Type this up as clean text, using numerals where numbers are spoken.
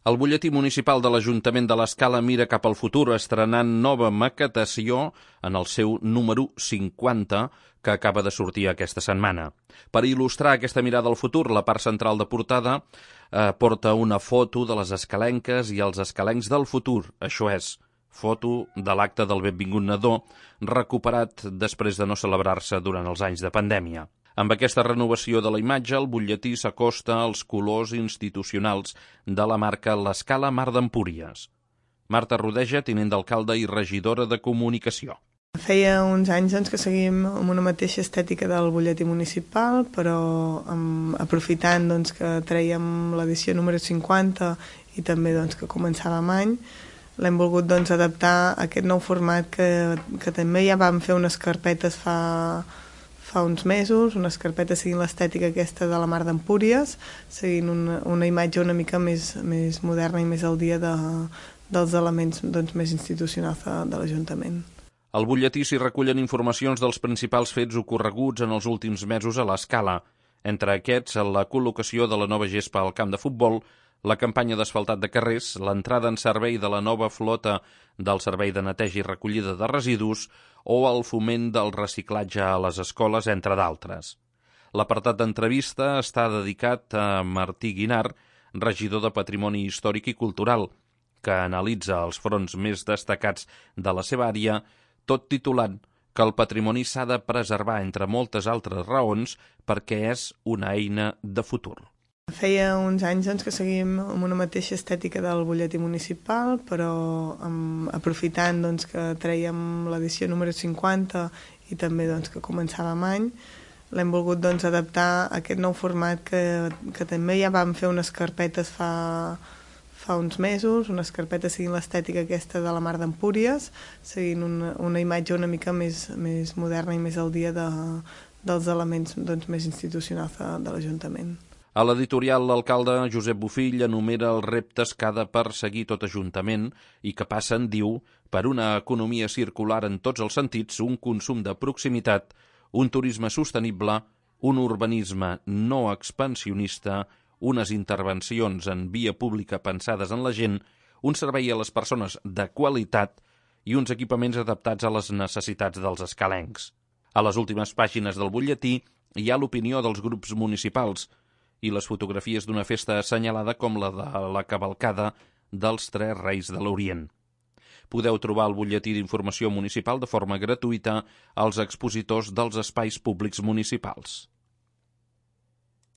El butlletí municipal de l'Ajuntament de l'Escala mira cap al futur estrenant nova maquetació en el seu número 50 que acaba de sortir aquesta setmana. Per il·lustrar aquesta mirada al futur, la part central de portada porta una foto de les escalenques i els escalencs del futur, això és, foto de l'acte del Benvingut Nadó recuperat després de no celebrar-se durant els anys de pandèmia. Amb aquesta renovació de la imatge, el butlletí s'acosta als colors institucionals de la marca l'Escala Mar d'Empúries. Marta Rodeja, tinent d'alcalde i regidora de Comunicació. Feia uns anys que seguim amb una mateixa estètica del butlletí municipal, però aprofitant que trèiem l'edició número 50 i també que començàvem any, l'hem volgut adaptar a aquest nou format que també ja vam fer unes carpetes fa uns mesos, unes carpetes seguint l'estètica aquesta de la Mar d'Empúries, seguint una imatge una mica més moderna i més al dia dels elements més institucionals de l'Ajuntament. Al butlletí s'hi recullen informacions dels principals fets ocorreguts en els últims mesos a l'Escala. Entre aquests, la col·locació de la nova gespa al camp de futbol, la campanya d'asfaltat de carrers, l'entrada en servei de la nova flota del servei de neteja i recollida de residus o el foment del reciclatge a les escoles, entre d'altres. L'apartat d'entrevista està dedicat a Martí Guinart, regidor de Patrimoni Històric i Cultural, que analitza els fronts més destacats de la seva àrea, tot titulant que el patrimoni s'ha de preservar, entre moltes altres raons, perquè és una eina de futur. Feia uns anys que seguim amb una mateixa estètica del butlletí municipal, però aprofitant que trèiem l'edició número 50 i també que començàvem any, l'hem volgut adaptar a aquest nou format que també ja vam fer unes carpetes fa uns mesos, unes carpetes seguint l'estètica aquesta de la Mar d'Empúries, seguint una imatge una mica més moderna i més al dia dels elements més institucionals de l'Ajuntament. A l'editorial, l'alcalde Josep Bofill enumera els reptes que ha de perseguir tot Ajuntament i que passen, diu, per una economia circular en tots els sentits, un consum de proximitat, un turisme sostenible, un urbanisme no expansionista, unes intervencions en via pública pensades en la gent, un servei a les persones de qualitat i uns equipaments adaptats a les necessitats dels escalencs. A les últimes pàgines del butlletí hi ha l'opinió dels grups municipals i les fotografies d'una festa assenyalada com la de la cavalcada dels Tres Reis de l'Orient. Podeu trobar el butlletí d'informació municipal de forma gratuïta als expositors dels espais públics municipals.